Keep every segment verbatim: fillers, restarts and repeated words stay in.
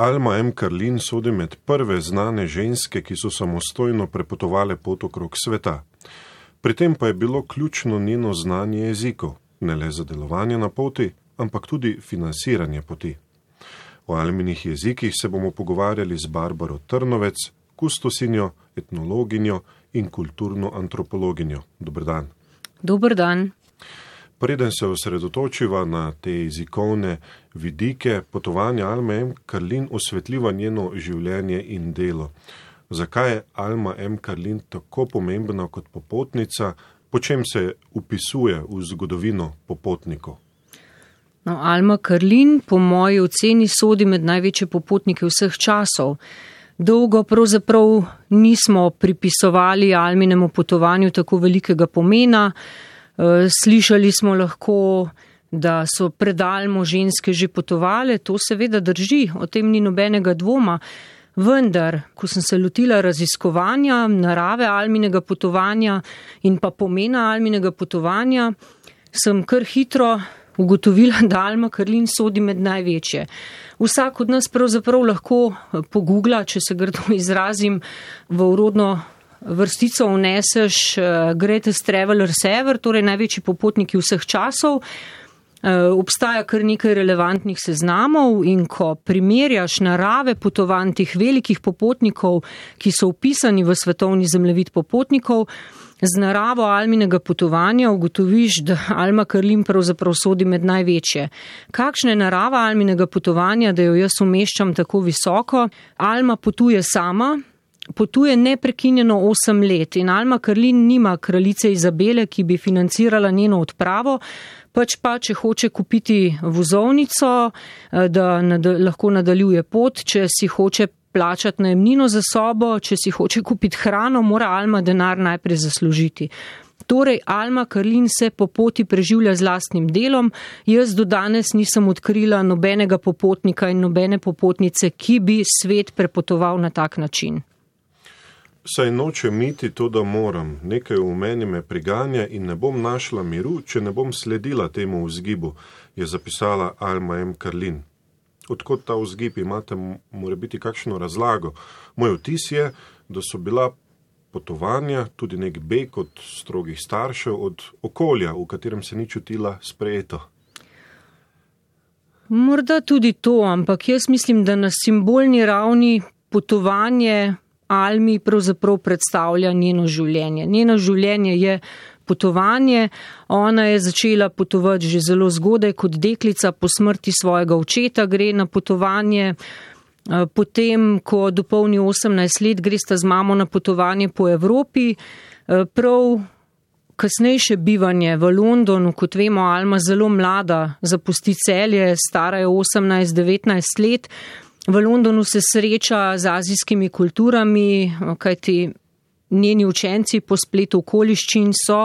Alma M. Karlin sodi med prve znane ženske, ki so samostojno prepotovale pot okrog sveta. Pri tem pa je bilo ključno njeno znanje jezikov, ne le za delovanje na poti, ampak tudi financiranje poti. O Alminih jezikih se bomo pogovarjali z Barbaro Trnovec, kustosinjo, etnologinjo in kulturno antropologinjo. Dober dan. Dober dan. Preden se osredotočiva na te jezikovne vidike, potovanja Alme M. Karlin osvetljiva njeno življenje in delo. Zakaj je Alma M. Karlin tako pomembna kot popotnica, po čem se upisuje v zgodovino popotnikov? No, Alma Karlin po moji oceni sodi med največje popotnike vseh časov. Dolgo pravzaprav nismo pripisovali Alminemu potovanju tako velikega pomena. Slišali smo lahko, da so pred Almo ženske že potovale, to seveda drži, o tem ni nobenega dvoma. Vendar, ko sem se lotila raziskovanja narave Alminega potovanja in pa pomena Alminega potovanja, sem kar hitro ugotovila, da Alma Karlin sodi med največje. Vsak od nas pravzaprav lahko pogugla, če se grdo izrazim, v urodno vrstico vneseš Greatest Travelers Ever, torej največji popotniki vseh časov. Obstaja kar nekaj relevantnih seznamov in ko primerjaš narave potovanj teh velikih popotnikov, ki so vpisani v svetovni zemljevid popotnikov, z naravo Alminega potovanja ugotoviš, da Alma Karlin pravzaprav sodi med največje. Kakšna je narava Alminega potovanja, da jo jaz umeščam tako visoko? Alma potuje sama, potuje neprekinjeno osem let in Alma Karlin nima kraljice Izabele, ki bi financirala njeno odpravo, pač pa, če hoče kupiti vozovnico, da nad, lahko nadaljuje pot, če si hoče plačati najemnino za sobo, če si hoče kupiti hrano, mora Alma denar najprej zaslužiti. Torej, Alma Karlin se po poti preživlja z lastnim delom. Jaz do danes nisem odkrila nobenega popotnika in nobene popotnice, ki bi svet prepotoval na tak način. Saj nočem iti to, da moram. Nekaj v meni me priganja in ne bom našla miru, če ne bom sledila temu vzgibu, je zapisala Alma M. Karlin. Odkot ta vzgib imate, mora biti kakšno razlago. Moj vtis je, da so bila potovanja tudi nek beg od strogih staršev, od okolja, v katerem se ni čutila sprejeto. Morda tudi to, ampak jaz mislim, da na simbolni ravni potovanje Almi pravzaprav predstavlja njeno življenje. Njeno življenje je potovanje. Ona je začela potovati že zelo zgodaj kot deklica, po smrti svojega očeta gre na potovanje. Potem, ko dopolni osemnajst let, gre sta z mamo na potovanje po Evropi. Prav kasnejše bivanje v Londonu, kot vemo, Alma zelo mlada zapusti Celje, stara je osemnajst devetnajst let. V Londonu se sreča z azijskimi kulturami, kajti njeni učenci po spletu okoliščin so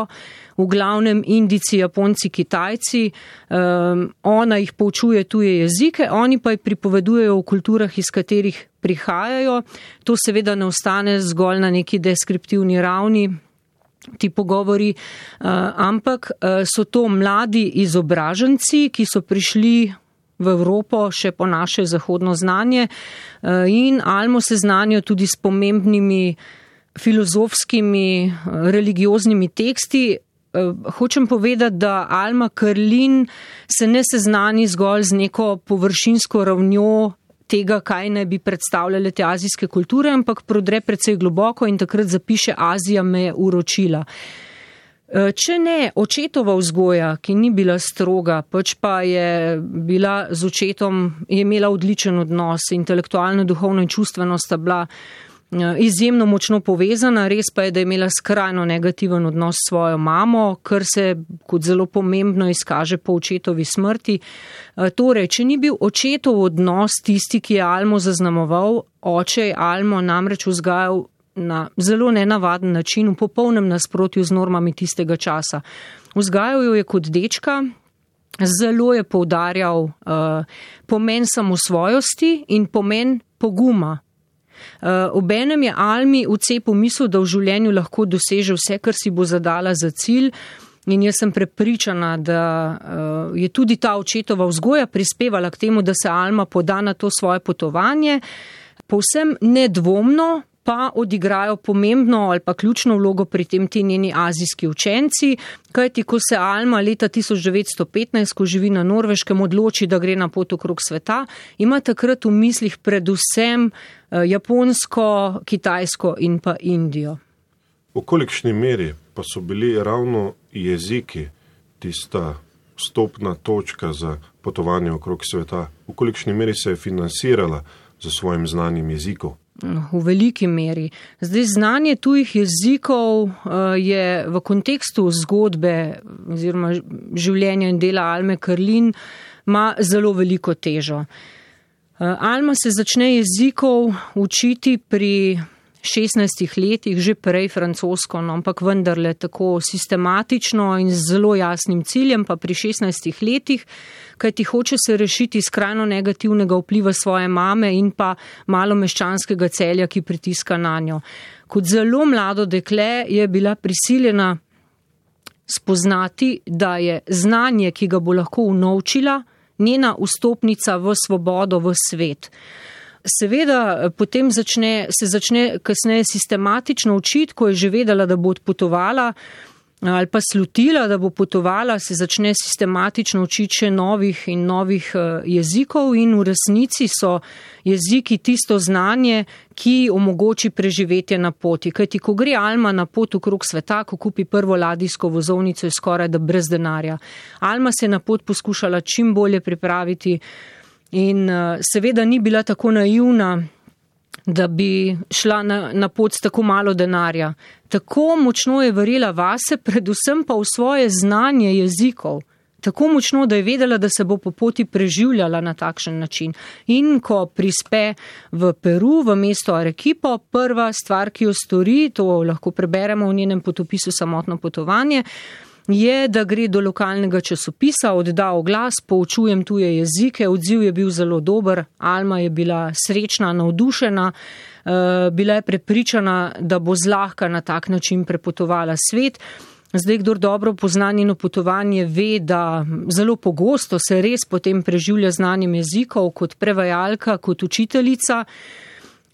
v glavnem Indijci, Japonci, Kitajci. Um, ona jih poučuje tuje jezike, oni pa jih pripovedujejo o kulturah, iz katerih prihajajo. To seveda ne ostane zgolj na neki deskriptivni ravni, ti pogovori, uh, ampak uh, so to mladi izobraženci, ki so prišli v Evropo še po naše zahodno znanje in Almo se znanijo tudi s pomembnimi filozofskimi, religioznimi teksti. Hočem povedati, da Alma Karlin se ne seznani zgolj z neko površinsko ravnjo tega, kaj naj bi predstavljale te azijske kulture, ampak prodre precej globoko in takrat zapiše: Azija me je uročila. Če ne, očetova vzgoja, ki ni bila stroga, pač pa je bila z očetom, je imela odličen odnos, intelektualno, duhovno in čustveno sta bila izjemno močno povezana, res pa je, da je imela skrajno negativen odnos s svojo mamo, kar se kot zelo pomembno izkaže po očetovi smrti. Torej, če ni bil očetov odnos tisti, ki je Almo zaznamoval, oče je Almo namreč vzgajal na zelo nenavaden način, v popolnem nasprotju z normami tistega časa. Vzgajal jo je kot dečka, zelo je poudarjal uh, pomen samosvojosti in pomen poguma. Uh, obenem je Almi vcepil misel, da v življenju lahko doseže vse, kar si bo zadala za cilj, In jaz sem prepričana, da uh, je tudi ta očetova vzgoja prispevala k temu, da se Alma poda na to svoje potovanje. Povsem nedvomno pa odigrajo pomembno ali pa ključno vlogo pri tem ti njeni azijski učenci, kajti ko se Alma leta tisoč devetsto petnajst, ko živi na Norveškem, odloči, da gre na pot okrog sveta, ima takrat v mislih predvsem Japonsko, Kitajsko in pa Indijo. V kolikšni meri pa so bili ravno jeziki tista vstopna točka za potovanje okrog sveta? V kolikšni meri se je financirala za svojim znanjem jezikov? V veliki meri. Zdaj, znanje tujih jezikov je v kontekstu zgodbe oziroma življenja in dela Alme Karlin ima zelo veliko težo. Alma se začne jezikov učiti pri šestnajstih letih, že prej francosko, no, ampak vendarle tako sistematično in z zelo jasnim ciljem, pa pri šestnajstih letih, kajti hoče se rešiti skrajno negativnega vpliva svoje mame in pa malomeščanskega celja, ki pritiska na njo. Kot zelo mlado dekle je bila prisiljena spoznati, da je znanje, ki ga bo lahko unovčila, njena vstopnica v svobodo, v svet. Seveda potem začne, se začne kasneje sistematično učiti, ko je že vedela, da bo odpotovala ali pa slutila, da bo potovala, se začne sistematično učiti še novih in novih jezikov in v resnici so jeziki tisto znanje, ki omogoči preživetje na poti. Kajti ko gre Alma na pot okrog sveta, ko kupi prvo ladijsko vozovnico, je skoraj da brez denarja. Alma se je na pot poskušala čim bolje pripraviti in seveda ni bila tako naivna, da bi šla na, na pot s tako malo denarja. Tako močno je verjela vase, predvsem pa v svoje znanje jezikov. Tako močno, da je vedela, da se bo po poti preživljala na takšen način. In ko prispe v Peru, v mesto Arequipo, prva stvar, ki jo stori, to lahko preberemo v njenem potopisu Samotno potovanje, je, da gre do lokalnega časopisa, odda oglas, poučujem tuje jezike, odziv je bil zelo dober, Alma je bila srečna, navdušena, bila je prepričana, da bo zlahka na tak način prepotovala svet. Zdaj, kdor dobro pozna njeno potovanje, ve, da zelo pogosto se res potem preživlja znanjem jezikov kot prevajalka, kot učiteljica.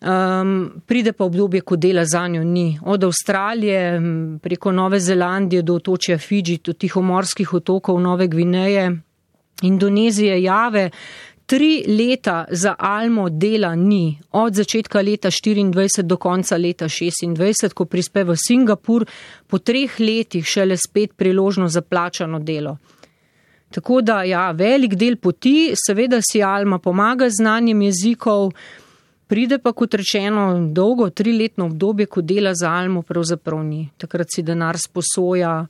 Um, pride pa obdobje, ko dela zanjo ni. Od Avstralije preko Nove Zelandije do otočja Fidži, do tihomorskih otokov Nove Gvineje, Indonezije, Jave. Tri leta za Almo dela ni. Od začetka leta štiriindvajset do konca leta šestindvajset, ko prispe v Singapur, po treh letih šele spet priložnost za plačano delo. Tako da, ja, velik del poti, seveda si Alma pomaga z znanjem jezikov, pride pa, kot rečeno, dolgo, triletno obdobje, ko dela za Almo, pravzaprav ni. Takrat si denar sposoja.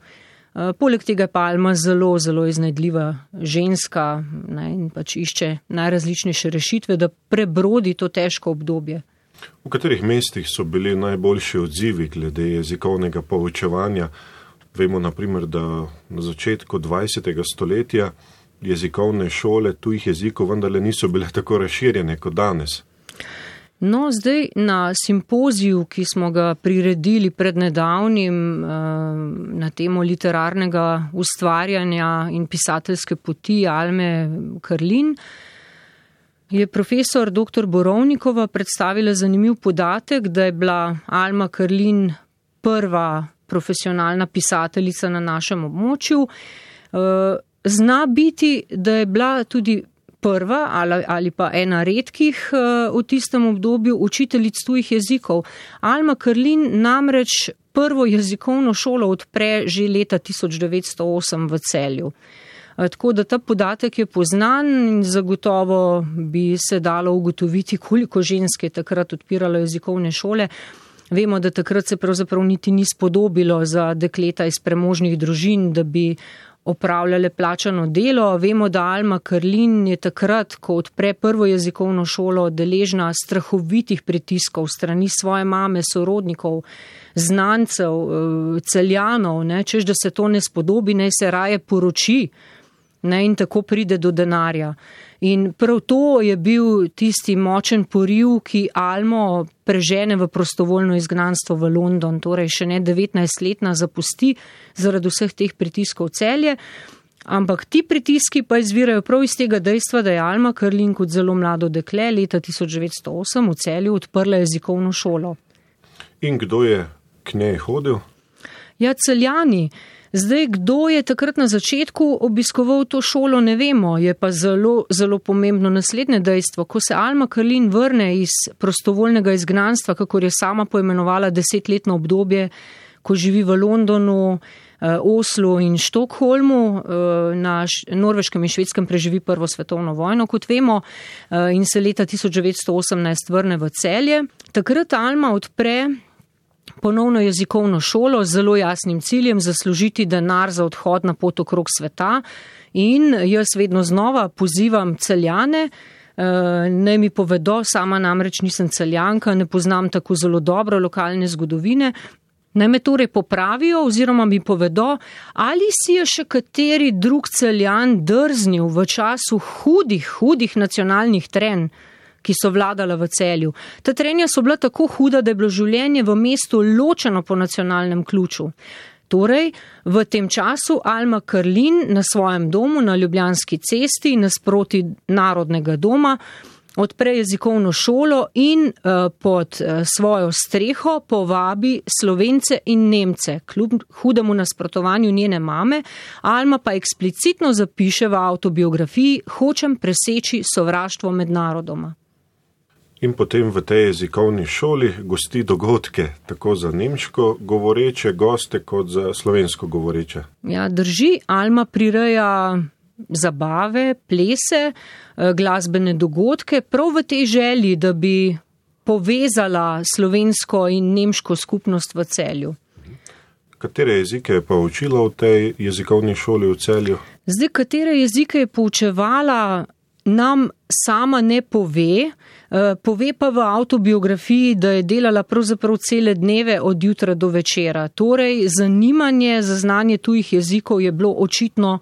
Poleg tega pa Alma zelo, zelo iznajdljiva ženska, ne, in pač išče najrazličnejše rešitve, da prebrodi to težko obdobje. V katerih mestih so bili najboljši odzivi glede jezikovnega poučevanja? Vemo, naprimer, da na začetku dvajsetega stoletja jezikovne šole tujih jezikov vendarle niso bile tako razširjene kot danes. No, zdaj na simpoziju, ki smo ga priredili pred nedavnim na temo literarnega ustvarjanja in pisateljske poti Alme Karlin, je profesor doktor Borovnikova predstavila zanimiv podatek, da je bila Alma Karlin prva profesionalna pisateljica na našem območju. Zna biti, da je bila tudi prva ali, ali pa ena redkih uh, v tistem obdobju učiteljic tujih jezikov. Alma Karlin namreč prvo jezikovno šolo odpre že leta tisoč devetsto osem v Celju. Uh, tako da ta podatek je poznan in zagotovo bi se dalo ugotoviti, koliko žensk je takrat odpiralo jezikovne šole. Vemo, da takrat se pravzaprav niti ni spodobilo za dekleta iz premožnih družin, da bi opravljale plačano delo. Vemo, da Alma Karlin je takrat, ko odpre prvo jezikovno šolo, deležna strahovitih pritiskov strani svoje mame, sorodnikov, znancev, celjanov, ne, češ da se to ne spodobi, naj se raje poroči ne, in tako pride do denarja. In prav to je bil tisti močen poriv, ki Almo prežene v prostovoljno izgnanstvo v London, torej še ne devetnajstletna zapusti zaradi vseh teh pritiskov Celje, ampak ti pritiski pa izvirajo prav iz tega dejstva, da je Alma Karlin kot zelo mlado dekle leta tisoč devetsto osem v Celju odprla jezikovno šolo. In kdo je k njej hodil? Ja, Celjani. Zdaj, kdo je takrat na začetku obiskoval to šolo, ne vemo, je pa zelo, zelo pomembno naslednje dejstvo. Ko se Alma Karlin vrne iz prostovoljnega izgnanstva, kakor je sama poimenovala desetletno obdobje, ko živi v Londonu, Oslu in Štokholmu, na Norveškem in Švedskem preživi prvo svetovno vojno, kot vemo, in se leta tisoč devetsto osemnajst vrne v Celje. Takrat Alma odpre ponovno jezikovno šolo z zelo jasnim ciljem zaslužiti denar za odhod na pot okrog sveta in jaz vedno znova pozivam Celjane, naj mi povedo, sama namreč nisem Celjanka, ne poznam tako zelo dobro lokalne zgodovine, naj me torej popravijo oziroma mi povedo, ali si je še kateri drug Celjan drznil v času hudih, hudih nacionalnih trenj, ki so vladala v Celju. Ta trenja so bila tako huda, da je bilo življenje v mestu ločeno po nacionalnem ključu. Torej, v tem času Alma Karlin na svojem domu na Ljubljanski cesti nasproti Narodnega doma odpre jezikovno šolo in uh, pod uh, svojo streho povabi Slovence in Nemce, kljub hudemu nasprotovanju njene mame. Alma pa eksplicitno zapiše v avtobiografiji: hočem preseči sovraštvo med narodoma. In potem v tej jezikovni šoli gosti dogodke, tako za nemško govoreče goste, kot za slovensko govoreče. Ja, drži, Alma prireja zabave, plese, glasbene dogodke, prav v tej želji, da bi povezala slovensko in nemško skupnost v Celju. Katere jezike je pa učila v tej jezikovni šoli v Celju? Zdaj, katere jezike je poučevala, nam sama ne pove, pove pa v avtobiografiji, da je delala pravzaprav cele dneve od jutra do večera. Torej, zanimanje za znanje tujih jezikov je bilo očitno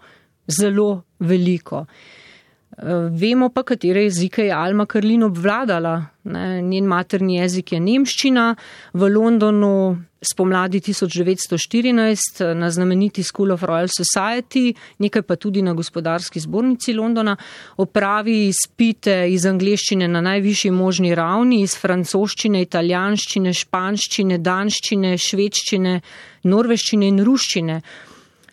zelo veliko. Vemo pa, katere jezike je Alma Karlin obvladala. Njen materni jezik je nemščina. V Londonu spomladi tisoč devetsto štirinajst na znameniti School of Royal Society, nekaj pa tudi na Gospodarski zbornici Londona, opravi izpite iz angleščine na najvišji možni ravni, iz francoščine, italijanščine, španščine, danščine, švedščine, norveščine in ruščine.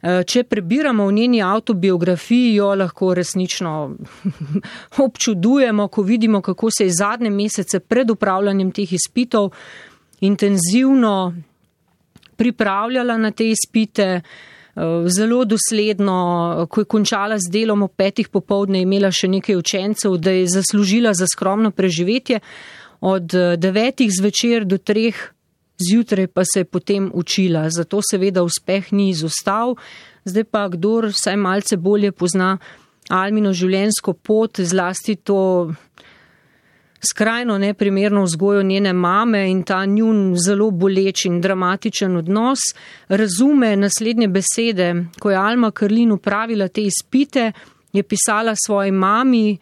Če prebiramo v njeni avtobiografiji, jo lahko resnično občudujemo, ko vidimo, kako se je zadnje mesece pred upravljanjem teh izpitov intenzivno pripravljala na te izpite, zelo dosledno, ko je končala z delom ob petih popoldne, imela še nekaj učencev, da je zaslužila za skromno preživetje, od devetih zvečer do treh zjutraj pa se je potem učila, zato seveda uspeh ni izostal. Zdaj pa, kdor vsaj malce bolje pozna Almino življenjsko pot, zlasti to skrajno neprimerno vzgojo njene mame in ta njun zelo boleč in dramatičen odnos, razume naslednje besede. Ko je Alma Karlin upravila te izpite, je pisala svoji mami: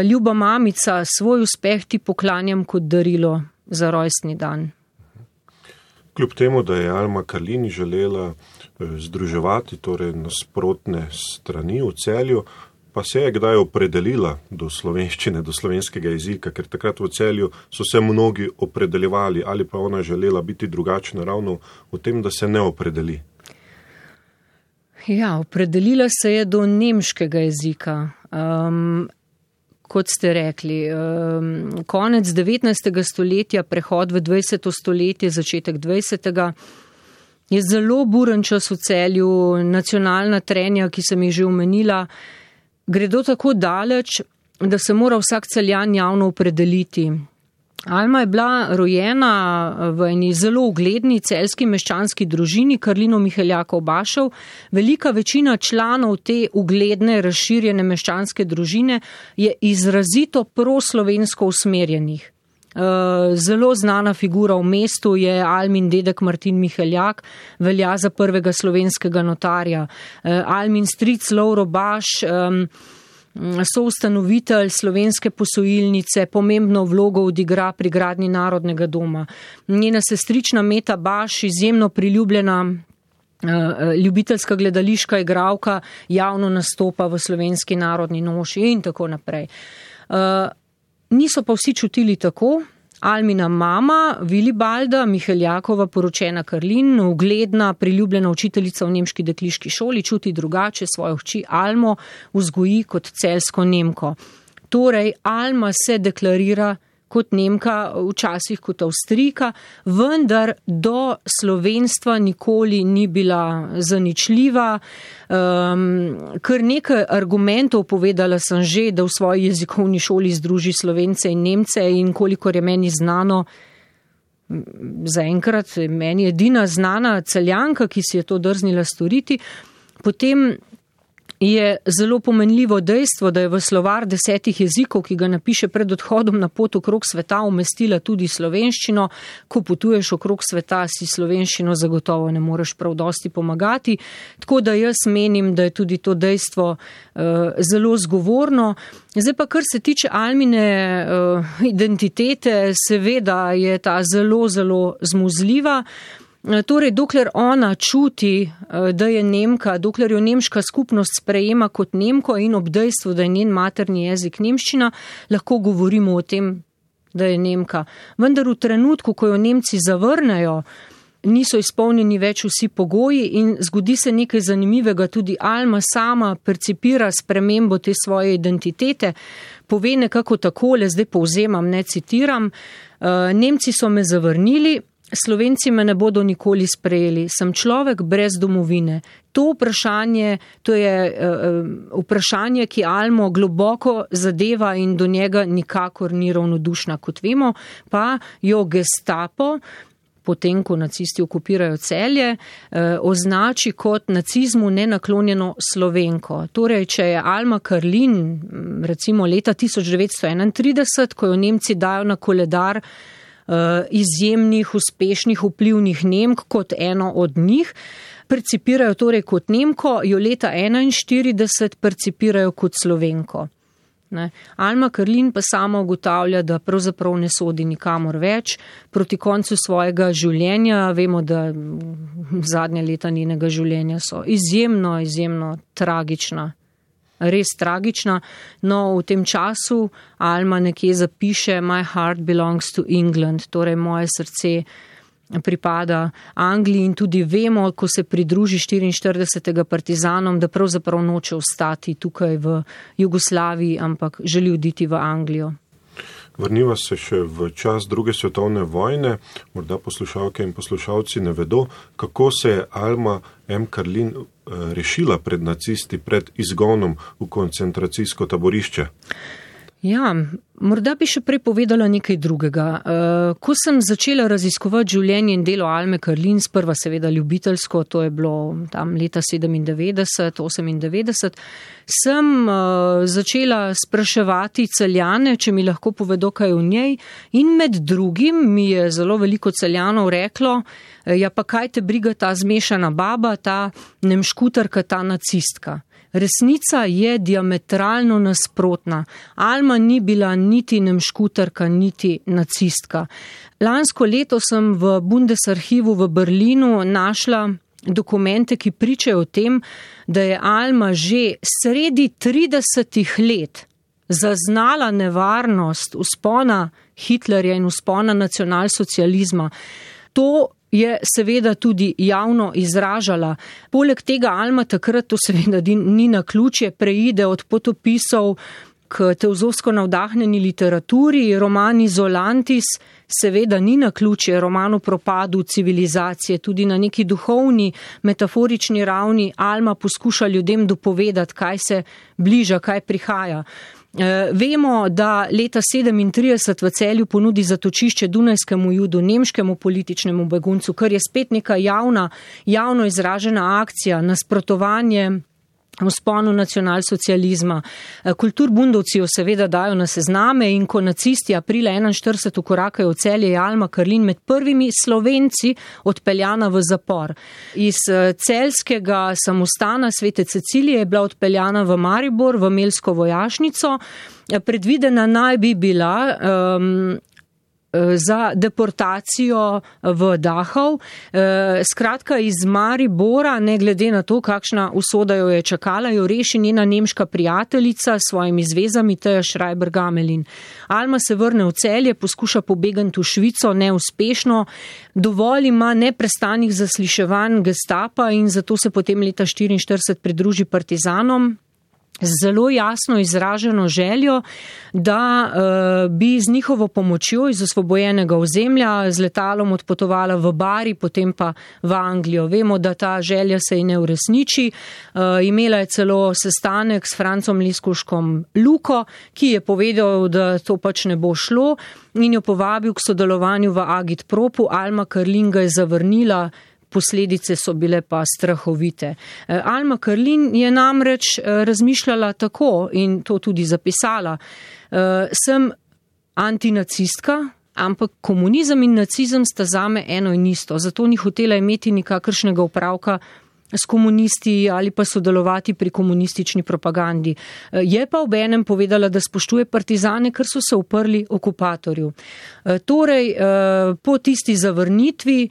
ljuba mamica, svoj uspeh ti poklanjam kot darilo za rojstni dan. Kljub temu, da je Alma Karlin želela združevati torej nasprotne strani v Celju, pa se je kdaj opredelila do slovenščine, do slovenskega jezika, ker takrat v Celju so se mnogi opredeljevali, ali pa ona želela biti drugačna ravno v tem, da se ne opredeli. Ja, opredelila se je do nemškega jezika. Um, Kot ste rekli, konec devetnajstega stoletja, prehod v dvajseto stoletje, začetek dvajsetega, je zelo buren čas v Celju, nacionalna trenja, ki sem jih že omenila, gredo tako daleč, da se mora vsak Celjan javno opredeliti. Alma je bila rojena v eni zelo ugledni celjski meščanski družini Karlinov Miheljakov Bašev. Velika večina članov te ugledne, razširjene meščanske družine je izrazito proslovensko usmerjenih. Zelo znana figura v mestu je Almin dedek Martin Miheljak, velja za prvega slovenskega notarja. Almin stric Lovro Baš, soustanovitelj slovenske posojilnice, pomembno vlogo odigra pri gradnji Narodnega doma. Njena sestrična Meta Baš, izjemno priljubljena ljubiteljska gledališka igralka, javno nastopa v Slovenski narodni noši in tako naprej. Niso pa vsi čutili tako. Almina mama, Vilibalda Miheljakova, poročena Karlin, ugledna, priljubljena učiteljica v nemški dekliški šoli, čuti drugače, svojo hči Almo vzgoji kot celjsko Nemko. Torej, Alma se deklarira kot Nemka, včasih kot Avstrijka, vendar do slovenstva nikoli ni bila zaničljiva. Um, kar nekaj argumentov povedala sem že, da v svoji jezikovni šoli združi Slovence in Nemce, in kolikor je meni znano, zaenkrat meni edina znana Celjanka, ki si je to drznila storiti. Potem je zelo pomenljivo dejstvo, da je v slovar desetih jezikov, ki ga napiše pred odhodom na pot okrog sveta, umestila tudi slovenščino. Ko potuješ okrog sveta, si slovenščino zagotovo ne moreš prav dosti pomagati. Tako da jaz menim, da je tudi to dejstvo uh, zelo zgovorno. Zdaj pa, kar se tiče Almine uh, identitete, seveda je ta zelo, zelo zmuzljiva. Torej, dokler ona čuti, da je Nemka, dokler jo nemška skupnost sprejema kot Nemko in ob dejstvu, da je njen materni jezik nemščina, lahko govorimo o tem, da je Nemka. Vendar v trenutku, ko jo Nemci zavrnejo, niso izpolnjeni več vsi pogoji in zgodi se nekaj zanimivega. Tudi Alma sama percipira spremembo te svoje identitete, pove nekako takole, zdaj povzemam, ne citiram: Nemci so me zavrnili, Slovenci me ne bodo nikoli sprejeli, sem človek brez domovine. To vprašanje, to je uh, vprašanje, ki Almo globoko zadeva in do njega nikakor ni ravnodušna. Kot vemo, pa jo Gestapo, potem ko nacisti okupirajo Celje, eh, označi kot nacizmu nenaklonjeno Slovenko. Torej, če je Alma Karlin, recimo leta tisoč devetsto enaintrideset, ko jo Nemci dajo na koledar izjemnih, uspešnih, vplivnih Nemk kot eno od njih, percipirajo torej kot Nemko, jo leta enainštirideset percipirajo kot Slovenko. Ne. Alma Karlin pa sama ugotavlja, da pravzaprav ne sodi nikamor več. Proti koncu svojega življenja, vemo, da zadnje leta njenega življenja so izjemno, izjemno tragična. Res tragična. No, v tem času Alma nekje zapiše My heart belongs to England, torej moje srce pripada Angliji, in tudi vemo, ko se pridruži štiriinštiridesetega partizanom, da pravzaprav noče ostati tukaj v Jugoslaviji, ampak želi oditi v Anglijo. Vrniva se še v čas druge svetovne vojne. Morda poslušalke in poslušalci ne vedo, kako se je Alma M. Karlin rešila pred nacisti, pred izgonom v koncentracijsko taborišče. Ja, morda bi še prej povedala nekaj drugega. Ko sem začela raziskovati življenje in delo Alme Karlin, sprva seveda ljubiteljsko, to je bilo tam leta sedemindevetdeset, osemindevetdeset, sem začela spraševati Celjane, če mi lahko povedo kaj o njej, in med drugim mi je zelo veliko Celjanov reklo: ja, pa kaj te briga ta zmešana baba, ta nemškutarka, ta nacistka. Resnica je diametralno nasprotna. Alma ni bila niti nemškutarka, niti nacistka. Lansko leto sem v Bundesarchivu v Berlinu našla dokumente, ki pričajo o tem, da je Alma že sredi tridesetih let zaznala nevarnost vzpona Hitlerja in vzpona nacionalsocializma. To je seveda tudi javno izražala. Poleg tega Alma takrat, to seveda ni naključje, preide od potopisov k teozofsko navdahnjeni literaturi. Roman Izolantis seveda ni naključje, roman o propadu civilizacije. Tudi na neki duhovni, metaforični ravni Alma poskuša ljudem dopovedati, kaj se bliža, kaj prihaja. Vemo, da leta sedemintrideset v Celju ponudi zatočišče dunajskemu judu, nemškemu političnemu beguncu, kar je spet neka javna, javno izražena akcija, nasprotovanje vzponu nacionalsocializma. Kulturbundovci jo seveda dajo na sezname in ko nacisti aprila enainštirideset ukorakajo v Celje, je Alma Karlin med prvimi Slovenci odpeljana v zapor. Iz celjskega samostana Svete Cecilije je bila odpeljana v Maribor, v Melsko vojašnico. Predvidena naj bi bila um, za deportacijo v Dachau. Skratka, iz Maribora, ne glede na to, kakšna usoda jo je čakala, jo reši njena nemška prijateljica s svojimi zvezami Teja Schreiber-Gamelin. Alma se vrne v Celje, poskuša pobegati v Švico, neuspešno. Dovolj ima neprestanih zasliševanj Gestapa in zato se potem leta štiriinštirideset pridruži partizanom. Z zelo jasno izraženo željo, da uh, bi z njihovo pomočjo iz osvobojenega ozemlja z letalom odpotovala v Bari, potem pa v Anglijo. Vemo, da ta želja se ji ne uresniči. Uh, imela je celo sestanek s Francom Liskuškom Luko, ki je povedal, da to pač ne bo šlo in jo povabil k sodelovanju v Agitpropu. Alma Karlin ga je zavrnila. Posledice so bile pa strahovite. Alma Karlin je namreč razmišljala tako in to tudi zapisala. Sem antinacistka, ampak komunizem in nacizem sta zame eno in isto. Zato ni hotela imeti nikakršnega opravka s komunisti ali pa sodelovati pri komunistični propagandi. Je pa obenem povedala, da spoštuje partizane, ker so se uprli okupatorju. Torej, po tisti zavrnitvi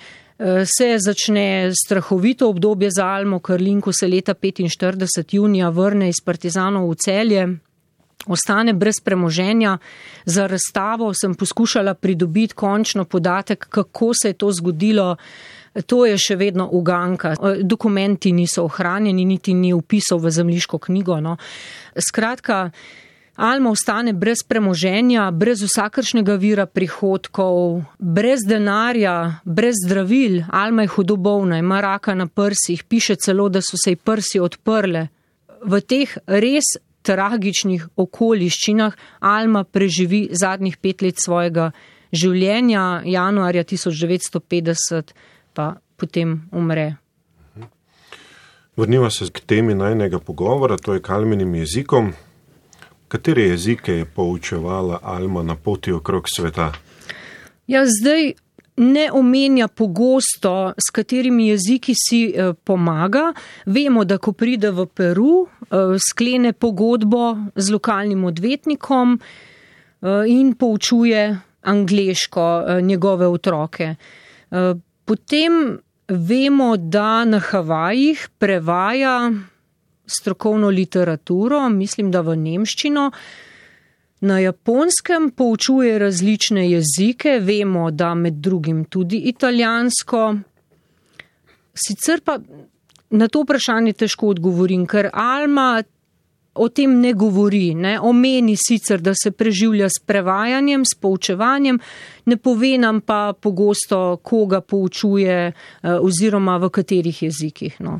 se začne strahovito obdobje za Almo Karlin, ko se leta petinštirideset junija vrne iz partizanov v Celje. Ostane brez premoženja. Za razstavo sem poskušala pridobiti končno podatek, kako se je to zgodilo. To je še vedno uganka. Dokumenti niso ohranjeni, niti ni vpisal v zemljiško knjigo. No. Skratka, Alma ostane brez premoženja, brez vsakršnega vira prihodkov, brez denarja, brez zdravil. Alma je hudo bolna, ima raka na prsih, piše celo, da so se ji prsi odprle. V teh res tragičnih okoliščinah Alma preživi zadnjih pet let svojega življenja, januarja tisoč devetsto petdeset pa potem umre. Vrniva se k temi najnega pogovora, to je k Alminim jezikom. Katere jezike je poučevala Alma na poti okrog sveta? Ja, zdaj ne omenja pogosto, s katerimi jeziki si eh, pomaga. Vemo, da ko pride v Peru, eh, sklene pogodbo z lokalnim odvetnikom eh, in poučuje angleško eh, njegove otroke. Eh, potem vemo, da na Havajih prevaja strokovno literaturo, mislim, da v nemščino. Na Japonskem poučuje različne jezike, vemo, da med drugim tudi italijansko. Sicer pa na to vprašanje težko odgovorim, ker Alma o tem ne govori, ne? Omeni sicer, da se preživlja s prevajanjem, s poučevanjem, ne pove nam pa pogosto, koga poučuje oziroma v katerih jezikih. No.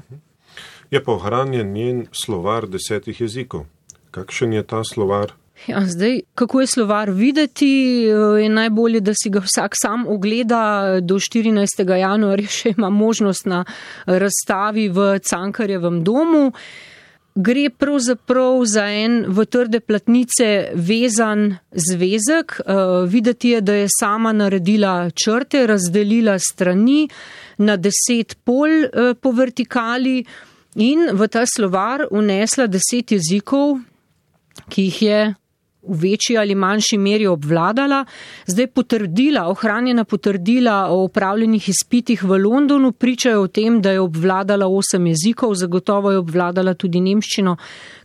Je pa ohranjen njen slovar desetih jezikov. Kakšen je ta slovar? Ja, zdaj, kako je slovar videti, je najbolje, da si ga vsak sam ogleda. Do štirinajstega januarja še ima možnost na razstavi v Cankarjevem domu. Gre pravzaprav za en v trde platnice vezan zvezek. Videti je, da je sama naredila črte, razdelila strani na deset pol po vertikali in v ta slovar vnesla deset jezikov, ki jih je v večji ali manjši meri obvladala. Zdaj potrdila, ohranjena potrdila o opravljenih izpitih v Londonu pričajo o tem, da je obvladala osem jezikov, zagotovo je obvladala tudi nemščino,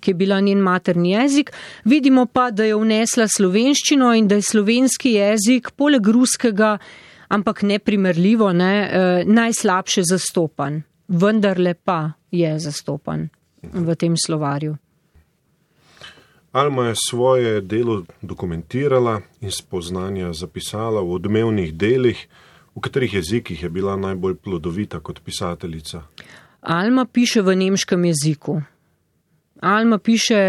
ki je bila njen materni jezik. Vidimo pa, da je vnesla slovenščino in da je slovenski jezik poleg ruskega, ampak neprimerljivo, ne, najslabše zastopan. Vendarle pa je zastopan v tem slovarju. Alma je svoje delo dokumentirala in spoznanja zapisala v odmevnih delih. V katerih jezikih je bila najbolj plodovita kot pisateljica? Alma piše v nemškem jeziku. Alma piše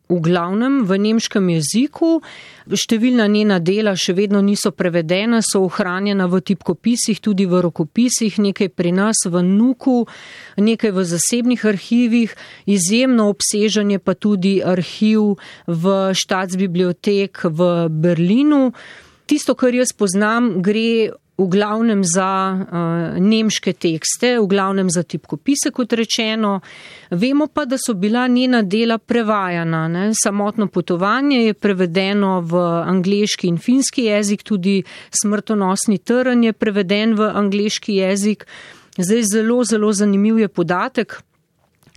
v glavnem v nemškem jeziku. Številna njena dela še vedno niso prevedena, so ohranjena v tipkopisih, tudi v rokopisih, nekaj pri nas v Nuku, nekaj v zasebnih arhivih, izjemno obsežen je pa tudi arhiv v Staatsbibliothek v Berlinu. Tisto, kar jaz poznam, gre v glavnem za uh, nemške tekste, v glavnem za tipkopise, kot rečeno. Vemo pa, da so bila njena dela prevajana. Ne? Samotno potovanje je prevedeno v angleški in finski jezik, tudi Smrtonosni trn je preveden v angleški jezik. Zdaj zelo, zelo zanimiv je podatek,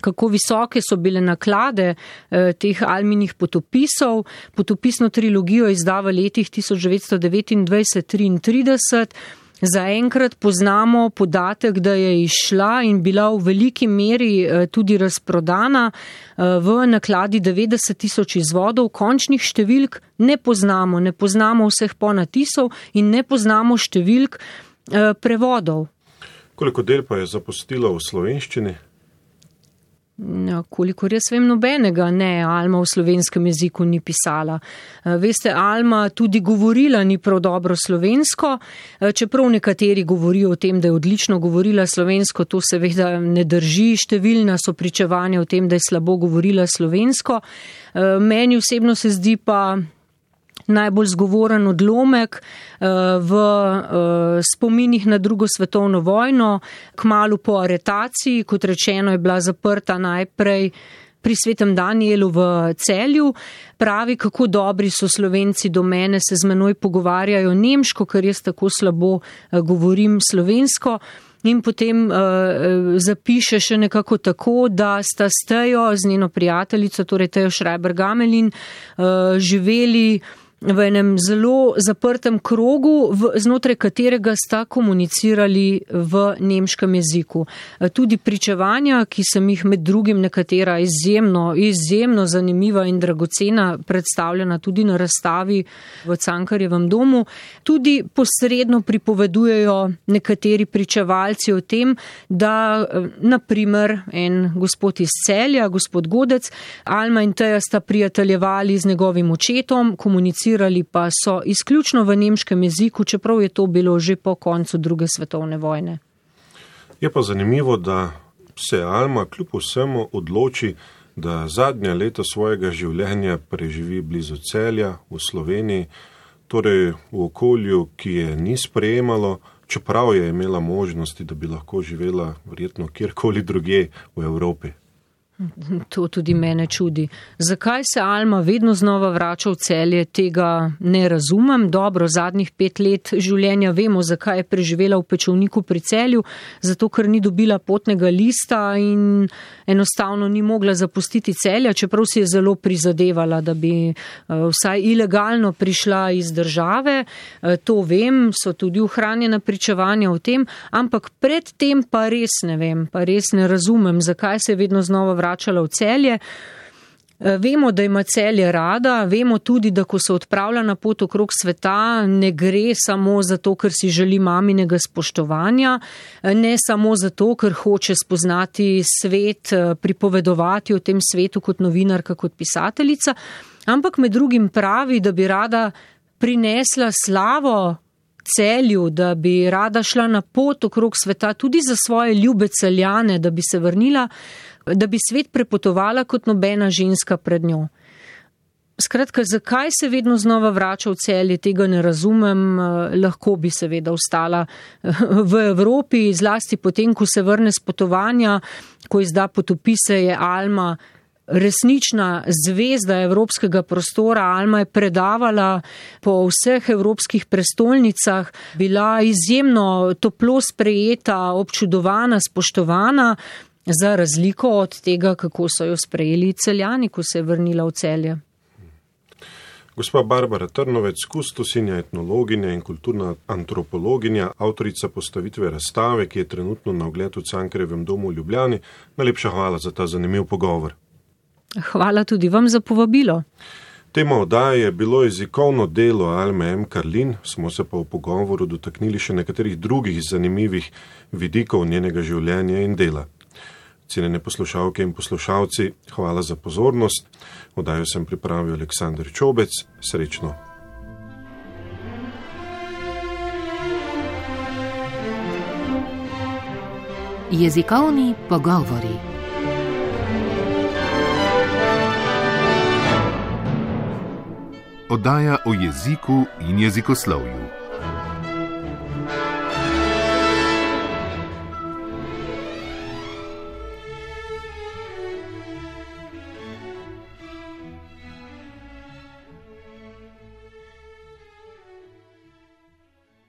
kako visoke so bile naklade eh, teh Alminih potopisov. Potopisno trilogijo izda v letih tisoč devetsto devetindvajset triintrideset. Zaenkrat poznamo podatek, da je izšla in bila v veliki meri eh, tudi razprodana eh, v nakladi devetdeset tisoč izvodov. Končnih številk ne poznamo, ne poznamo vseh ponatisov in ne poznamo številk eh, prevodov. Koliko del pa je zapustila v slovenščini? Ja, kolikor jaz vem, nobenega ne, Alma v slovenskem jeziku ni pisala. Veste, Alma tudi govorila ni prav dobro slovensko, čeprav nekateri govorijo o tem, da je odlično govorila slovensko, to seveda ne drži, številna so pričevanja o tem, da je slabo govorila slovensko. Meni osebno se zdi pa najbolj zgovoren odlomek v spominih na drugo svetovno vojno, kmalu po aretaciji, kot rečeno je bila zaprta najprej pri Svetem Danijelu v Celju. Pravi, kako dobri so Slovenci do mene, se z menoj pogovarjajo nemško, ker jaz tako slabo govorim slovensko. In potem uh, zapiše še nekako tako, da sta s Tejo, z njeno prijateljico, torej Tejo Schreiber-Gamelin, uh, živeli v enem zelo zaprtem krogu, v, znotraj katerega sta komunicirali v nemškem jeziku. Tudi pričevanja, ki sem jih med drugim nekatera izjemno, izjemno zanimiva in dragocena, predstavljena tudi na razstavi v Cankarjevem domu, tudi posredno pripovedujejo nekateri pričevalci o tem, da naprimer en gospod iz Celja, gospod Godec, Alma in Teja sta prijateljevali z njegovim očetom, komunicirali pa so izključno v nemškem jeziku, čeprav je to bilo že po koncu druge svetovne vojne. Je pa zanimivo, da se Alma kljub vsemu odloči, da zadnja leta svojega življenja preživi blizu Celja v Sloveniji, torej v okolju, ki je ni sprejemalo, čeprav je imela možnosti, da bi lahko živela verjetno kjerkoli drugje v Evropi. To tudi mene čudi. Zakaj se Alma vedno znova vrača v Celje, tega ne razumem. Dobro, zadnjih pet let življenja vemo, zakaj je preživela v Pečovniku pri Celju, zato ker ni dobila potnega lista in enostavno ni mogla zapustiti Celja, čeprav si je zelo prizadevala, da bi vsaj ilegalno prišla iz države. To vem, so tudi ohranjena pričevanja o tem, ampak pred tem pa res ne vem, pa res ne razumem, zakaj se je vedno znova vračala vračala v Celje. Vemo, da ima Celje rada, vemo tudi, da ko se odpravlja na pot okrog sveta, ne gre samo zato, ker si želi maminega spoštovanja, ne samo zato, ker hoče spoznati svet, pripovedovati o tem svetu kot novinarka, kot pisateljica, ampak med drugim pravi, da bi rada prinesla slavo Celju, da bi rada šla na pot okrog sveta tudi za svoje ljube Celjane, da bi se vrnila, da bi svet prepotovala kot nobena ženska pred njo. Skratka, zakaj se vedno znova vrača v Celje, tega ne razumem, lahko bi seveda ostala v Evropi, zlasti potem, ko se vrne z potovanja, ko izda potopise, je Alma resnična zvezda evropskega prostora. Alma je predavala po vseh evropskih prestolnicah, bila izjemno toplo sprejeta, občudovana, spoštovana, za razliko od tega, kako so jo sprejeli Celjani, ko se je vrnila v Celje. Gospa Barbara Trnovec, kustosinja, etnologinja in kulturna antropologinja, avtorica postavitve razstave, ki je trenutno na ogled v Cankarjevem domu v Ljubljani. Najlepša hvala za ta zanimiv pogovor. Hvala tudi vam za povabilo. Tema oddaje je bilo jezikovno delo Alme M. Karlin, smo se pa v pogovoru dotaknili še nekaterih drugih zanimivih vidikov njenega življenja in dela. Cenjene poslušalke in poslušalci, hvala za pozornost. Oddajo sem pripravil Aleksander Čobec. Srečno. Jezikovni pogovori. Oddaja o jeziku in jezikoslovju.